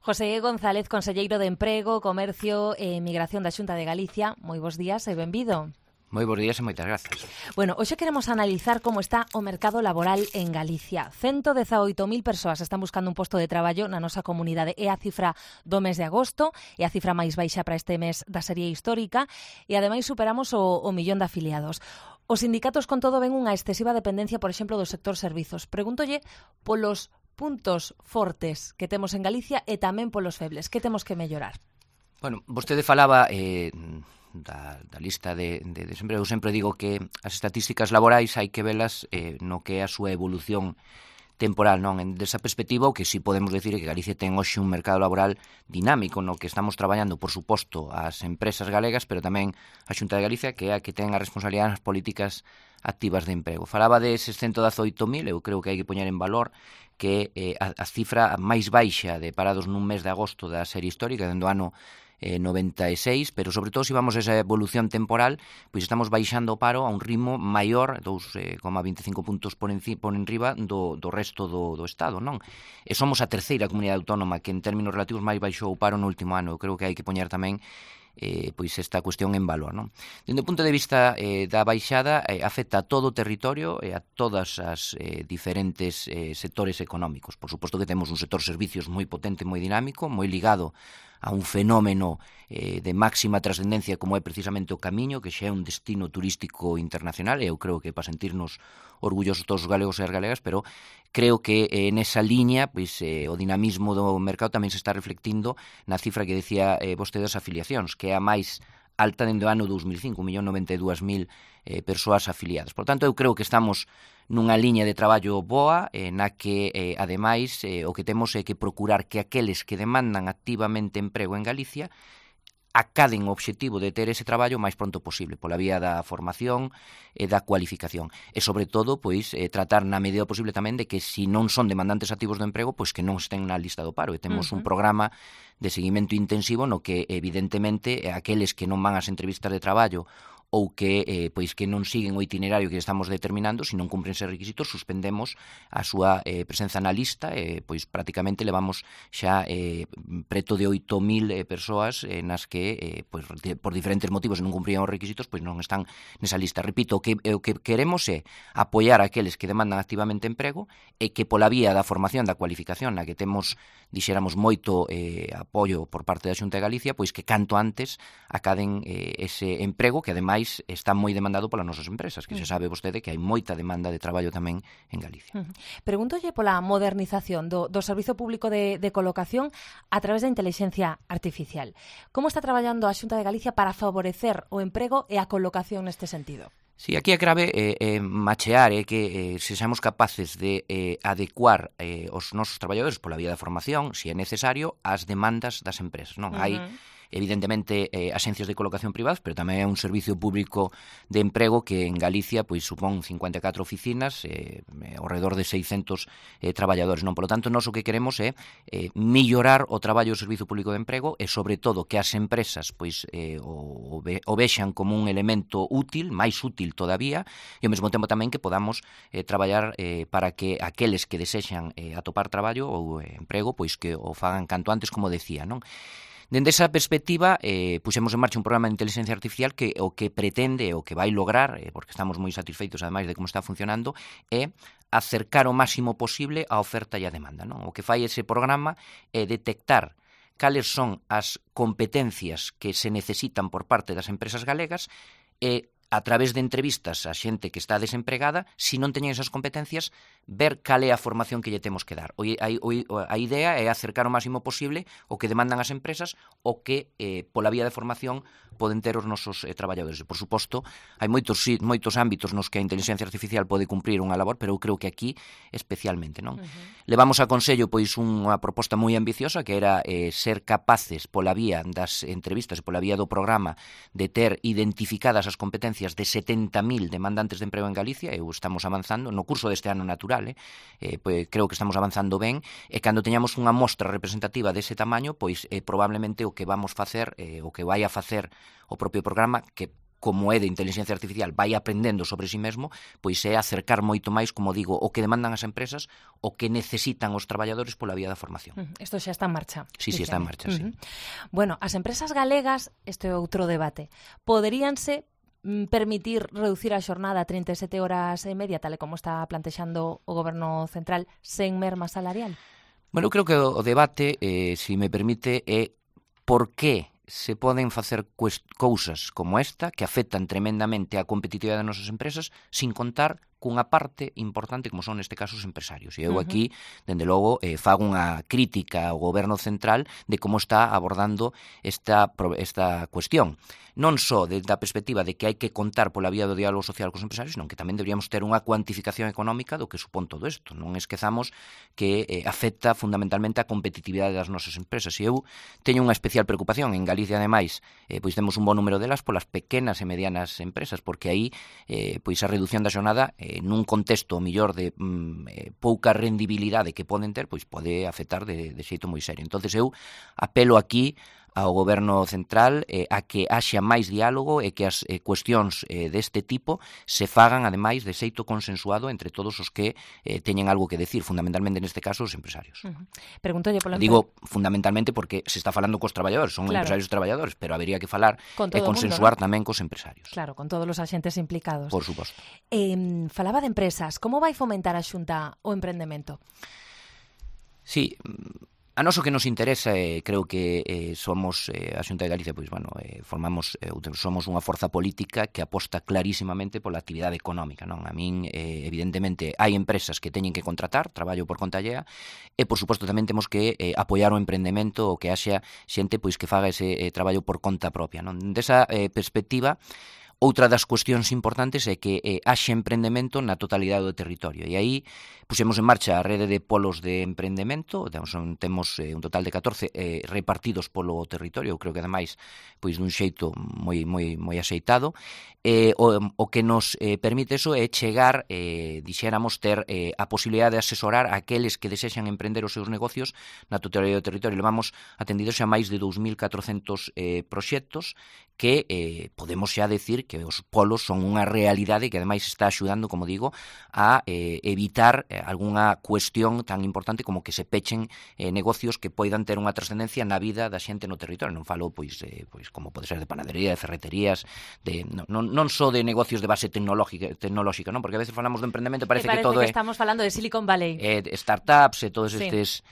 José González, conselleiro de Emprego, Comercio e Migración da Xunta de Galicia. Moi bons días e benvido. Moi bons días e moitas grazas. Bueno, hoxe queremos analizar como está o mercado laboral en Galicia. 118.000 persoas están buscando un posto de traballo na nosa comunidade. É a cifra do mes de agosto, é a cifra máis baixa para este mes da serie histórica e ademais superamos o millón de afiliados. Os sindicatos con todo ven unha excesiva dependencia, por exemplo, do sector servizos. Pregúntolle polos puntos fortes que temos en Galicia e tamén polos febles. Que temos que mellorar? Bueno, vostede falaba da lista de desemprego. Eu sempre digo que as estatísticas laborais hai que velas no que é a súa evolución temporal, non? Desa perspectiva, o que si podemos decir é que Galicia ten hoxe un mercado laboral dinámico no que estamos traballando, por suposto, as empresas galegas, pero tamén a Xunta de Galicia, que é a que ten a responsabilidade nas políticas activas de emprego. Falaba de eses 118.000, eu creo que hai que poñer en valor que a cifra máis baixa de parados nun mes de agosto da serie histórica, dentro do ano 96, pero sobre todo se vamos a esa evolución temporal, pois estamos baixando o paro a un ritmo maior, 2,25 puntos por enriba do resto do Estado, non? E somos a terceira comunidade autónoma que en términos relativos máis baixou o paro no último ano. Eu creo que hai que poñer tamén pois esta cuestión en valor, non? Dende o punto de vista da baixada, afecta a todo o territorio e a todas as diferentes sectores económicos. Por suposto que temos un sector servicios moi potente, moi dinámico, moi ligado a un fenómeno de máxima trascendencia como é precisamente o Camiño, que xa é un destino turístico internacional, e eu creo que para sentirnos orgullosos todos os galegos e as galegas, pero creo que nesa liña pois, o dinamismo do mercado tamén se está reflectindo na cifra que decía vostede das afiliacións, que é a máis alta dende o ano 2005, 1.092.000 persoas afiliadas. Por tanto, eu creo que estamos nunha liña de traballo boa, na que, ademais, o que temos é que procurar que aqueles que demandan activamente emprego en Galicia acaden o obxectivo de ter ese traballo o máis pronto posible, pola vía da formación e da cualificación. E, sobre todo, pois, tratar na medida posible tamén de que, se non son demandantes activos do emprego, pois que non estén na lista do paro. E temos un programa de seguimento intensivo no que, evidentemente, aqueles que non van ás entrevistas de traballo ou que pois que non siguen o itinerario que estamos determinando, se non cumpren eses requisitos, suspendemos a súa presenza na lista, pois prácticamente levamos xa preto de 8.000 persoas nas que pois por diferentes motivos non cumprían os requisitos, pois non están nesa lista. Repito, o que queremos é apoiar a aqueles que demandan activamente emprego e que pola vía da formación, da cualificación, na que temos, dixéramos, moito apoio por parte da Xunta de Galicia, pois que canto antes acaden ese emprego que ademais está moi demandado polas nosas empresas, que se sabe vostede que hai moita demanda de traballo tamén en Galicia. Pregúntolle pola modernización do Servizo Público de Colocación a través da inteligencia artificial. Como está traballando a Xunta de Galicia para favorecer o emprego e a colocación neste sentido? Sí, aquí a grave machear que sexamos capaces de adecuar os nosos traballadores pola vía da formación, se é necesario, ás demandas das empresas, non? Hai evidentemente axencias de colocación privadas, pero tamén é un servicio público de emprego que en Galicia pois supón 54 oficinas, ao redor de 600 traballadores, non? Por lo tanto, nós o que queremos é mellorar o traballo do servicio público de emprego e, sobre todo, que as empresas pois o vexan como un elemento útil, máis útil todavía, e ao mesmo tempo tamén que podamos traballar para que aqueles que desexan atopar traballo ou emprego, pois que o fagan canto antes, como decía, non? Dende esa perspectiva, puxemos en marcha un programa de inteligencia artificial que o que pretende, o que vai lograr, porque estamos moi satisfeitos ademais de como está funcionando, é acercar o máximo posible a oferta e a demanda, non? O que fai ese programa é detectar cales son as competencias que se necesitan por parte das empresas galegas e a través de entrevistas a xente que está desempregada, se non teñen esas competencias, ver cal é a formación que lle temos que dar. A idea é acercar o máximo posible o que demandan as empresas o que, pola vía de formación, poden ter os nosos traballadores. Por suposto, hai moitos ámbitos nos que a inteligencia artificial pode cumprir unha labor, pero eu creo que aquí especialmente, non? Levamos a consello pois unha proposta moi ambiciosa que era ser capaces pola vía das entrevistas e pola vía do programa de ter identificadas as competencias de 70.000 demandantes de emprego en Galicia. Estamos avanzando no curso deste ano natural, pois creo que estamos avanzando ben, e cando teñamos unha mostra representativa dese tamaño, pois probablemente o que vamos facer, o que vai a facer o propio programa, que como é de inteligencia artificial, vai aprendendo sobre si mesmo, pois é acercar moito máis, como digo, o que demandan as empresas, o que necesitan os traballadores pola vía da formación. Isto xa está en marcha. Sí, está en marcha, sí. Bueno, as empresas galegas, este é outro debate, poderíanse permitir reducir a xornada a 37 horas e media, tal e como está plantexando o Goberno Central, sen merma salarial? Bueno, eu creo que o debate, se me permite, é por que se poden facer cousas como esta que afectan tremendamente a competitividade das nosas empresas sin contar cunha parte importante como son neste caso os empresarios. E eu aquí, dende logo, fago unha crítica ao Goberno Central de como está abordando esta cuestión. Non só desde a perspectiva de que hai que contar pola vía do diálogo social cos empresarios, senón que tamén deberíamos ter unha cuantificación económica do que supón todo isto. Non esquezamos que afecta fundamentalmente a competitividade das nosas empresas. E eu teño unha especial preocupación. En Galicia, ademais, pois temos un bon número delas polas pequenas e medianas empresas, porque aí pois a reducción da xornada nun contexto mellor de pouca rendibilidade que poden ter, pois pode afectar de xeito moi serio. Entonces eu apelo aquí ao Goberno Central a que haxa máis diálogo e que as cuestións deste tipo se fagan, ademais, de xeito consensuado entre todos os que teñen algo que decir, fundamentalmente neste caso os empresarios. Pregúntolle pola Digo fundamentalmente porque se está falando cos traballadores, son empresarios e traballadores, pero habería que falar e consensuar tamén cos empresarios. Claro, con todos os axentes implicados. Por suposto. Falaba de empresas, como vai fomentar a Xunta o emprendemento? Sí, a noso que nos interesa, creo que somos a Xunta de Galicia, pois, bueno, somos unha forza política que aposta clarísimamente pola actividade económica, non? A min, evidentemente, hai empresas que teñen que contratar, traballo por conta allea, e, por suposto, tamén temos que apoiar o emprendemento, o que haxa xente pois que faga ese traballo por conta propia, non? Desa perspectiva, outra das cuestións importantes é que haxe emprendemento na totalidade do territorio. E aí pusemos en marcha a rede de polos de emprendemento, temos un total de 14 repartidos polo territorio, eu creo que ademais pois dun xeito moi axeitado. O que nos permite eso é chegar, dixéramos, ter a posibilidade de asesorar a aqueles que desexan emprender os seus negocios na totalidade do territorio. Levamos atendidos xa máis de 2.400 proxectos que podemos xa decir que os polos son unha realidade que ademais está axudando, como digo, a evitar algunha cuestión tan importante como que se pechen negocios que poidan ter unha trascendencia na vida da xente no territorio. Non falo, pois como pode ser de panadería, de ferreterías, non só de negocios de base tecnolóxica, non? Porque a veces falamos do emprendemento e parece que todo que estamos falando de Silicon Valley. Startups e todos estes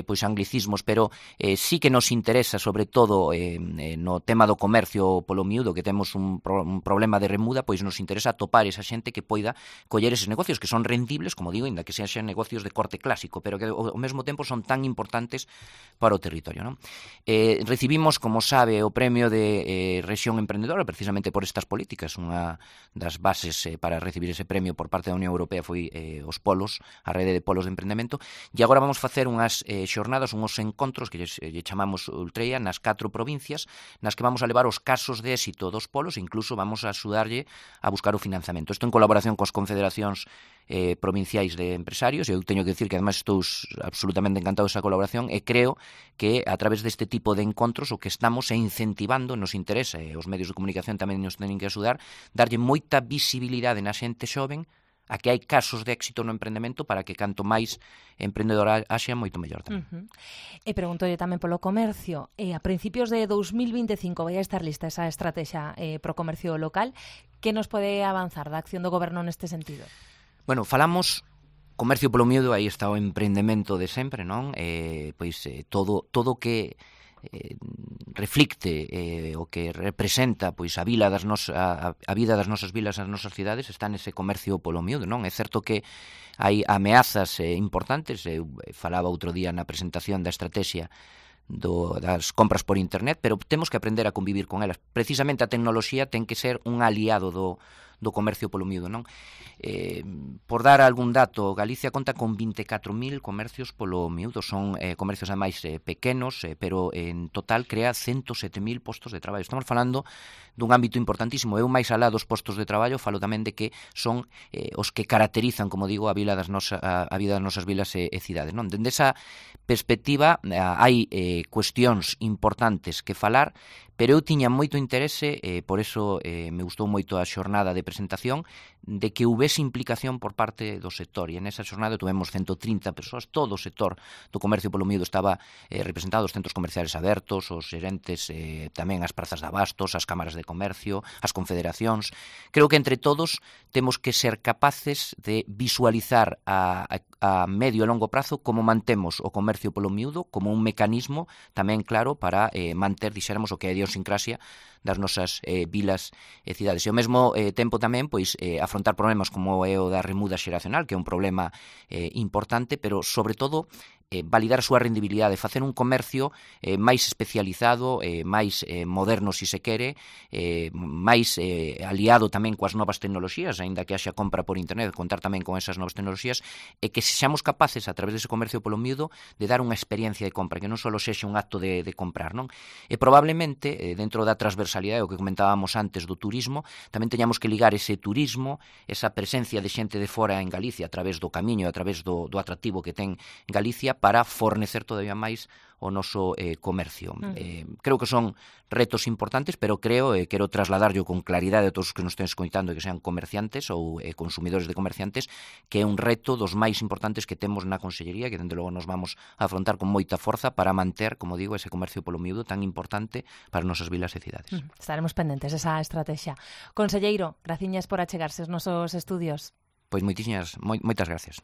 pois anglicismos, pero sí que nos interesa, sobre todo no tema do comercio polo miúdo, que temos un problema de remuda, pois nos interesa atopar esa xente que poida coller eses negocios que son rendibles, como digo, inda que sean negocios de corte clásico, pero que ao mesmo tempo son tan importantes para o territorio, non? Recibimos, como sabe, o premio de rexión emprendedora precisamente por estas políticas. Unha das bases para recibir ese premio por parte da Unión Europea foi os polos, a rede de polos de emprendemento, e agora vamos facer unhas xornadas, unhos encontros que lle chamamos Ultreia nas 4 provincias, nas que vamos a levar os casos de éxito dos polos e incluso vamos a axudarlle a buscar o financiamento. Isto en colaboración coas confederacións provinciais de empresarios. Eu teño que decir que además estou absolutamente encantado desa colaboración e creo que a través deste tipo de encontros o que estamos é incentivando, nos interesa, e os medios de comunicación tamén nos teñen que axudar, darlle moita visibilidade na xente xoven a que hai casos de éxito no emprendemento para que canto máis emprendedora haxa, moito mellor tamén. E preguntolle tamén polo comercio. A principios de 2025 vai a estar lista esa estrategia pro comercio local. Que nos pode avanzar da acción do Goberno neste sentido? Bueno, falamos comercio polo miúdo, aí está o emprendemento de sempre, non? Todo que reflicte o que representa pois a vida das nosas vilas, as nosas cidades, está nese comercio polo miúdo, non? É certo que hai ameazas importantes. Eu falaba outro día na presentación da estrategia das compras por internet, pero temos que aprender a convivir con elas. Precisamente a tecnoloxía ten que ser un aliado do comercio polo miúdo, non? Por dar algún dato, Galicia conta con 24.000 comercios polo miúdo. Son comercios ademais pequenos, pero en total crea 107.000 postos de traballo. Estamos falando dun ámbito importantísimo. Eu, máis alá dos postos de traballo, falo tamén de que son os que caracterizan, como digo, a vida das nosas vilas e cidades, non? Dende esa perspectiva hai cuestións importantes que falar, pero eu tiña moito interese, por eso me gustou moito a xornada de presentación, de que houvese implicación por parte do sector, e nesa xornada tuvemos 130 persoas, todo o sector do comercio polo miúdo estaba representado, os centros comerciales abertos, os xerentes, tamén as prazas de abastos, as cámaras de comercio, as confederacións. Creo que entre todos temos que ser capaces de visualizar a medio e longo prazo como mantemos o comercio polo miúdo como un mecanismo tamén claro para manter, dixéramos, o que é a idiosincrasia das nosas vilas e cidades. E ao mesmo tempo tamén pois afrontar problemas como é o da remuda xeracional, que é un problema importante, pero sobre todo validar a súa rendibilidade, facer un comercio máis especializado, máis moderno, se se quere, máis aliado tamén coas novas tecnoloxías, aínda que haxa compra por internet, contar tamén con esas novas tecnoloxías, e que sexamos capaces, a través dese comercio polo miúdo, de dar unha experiencia de compra, que non só sexa un acto de comprar, non? E probablemente, dentro da transversalidade, o que comentábamos antes do turismo, tamén teñamos que ligar ese turismo, esa presencia de xente de fora en Galicia, a través do camiño, a través do atractivo que ten Galicia, para fornecer todavía máis o noso comercio. Creo que son retos importantes, pero quero trasladarlo con claridade a todos os que nos estén escoitando e que sean comerciantes ou consumidores de comerciantes, que é un reto dos máis importantes que temos na Consellería, que dende logo nos vamos a afrontar con moita forza para manter, como digo, ese comercio polo miúdo tan importante para as nosas vilas e cidades. Estaremos pendentes esa estrategia. Conselleiro, graciñas por achegarse aos nosos estudios. Pois moitas gracias.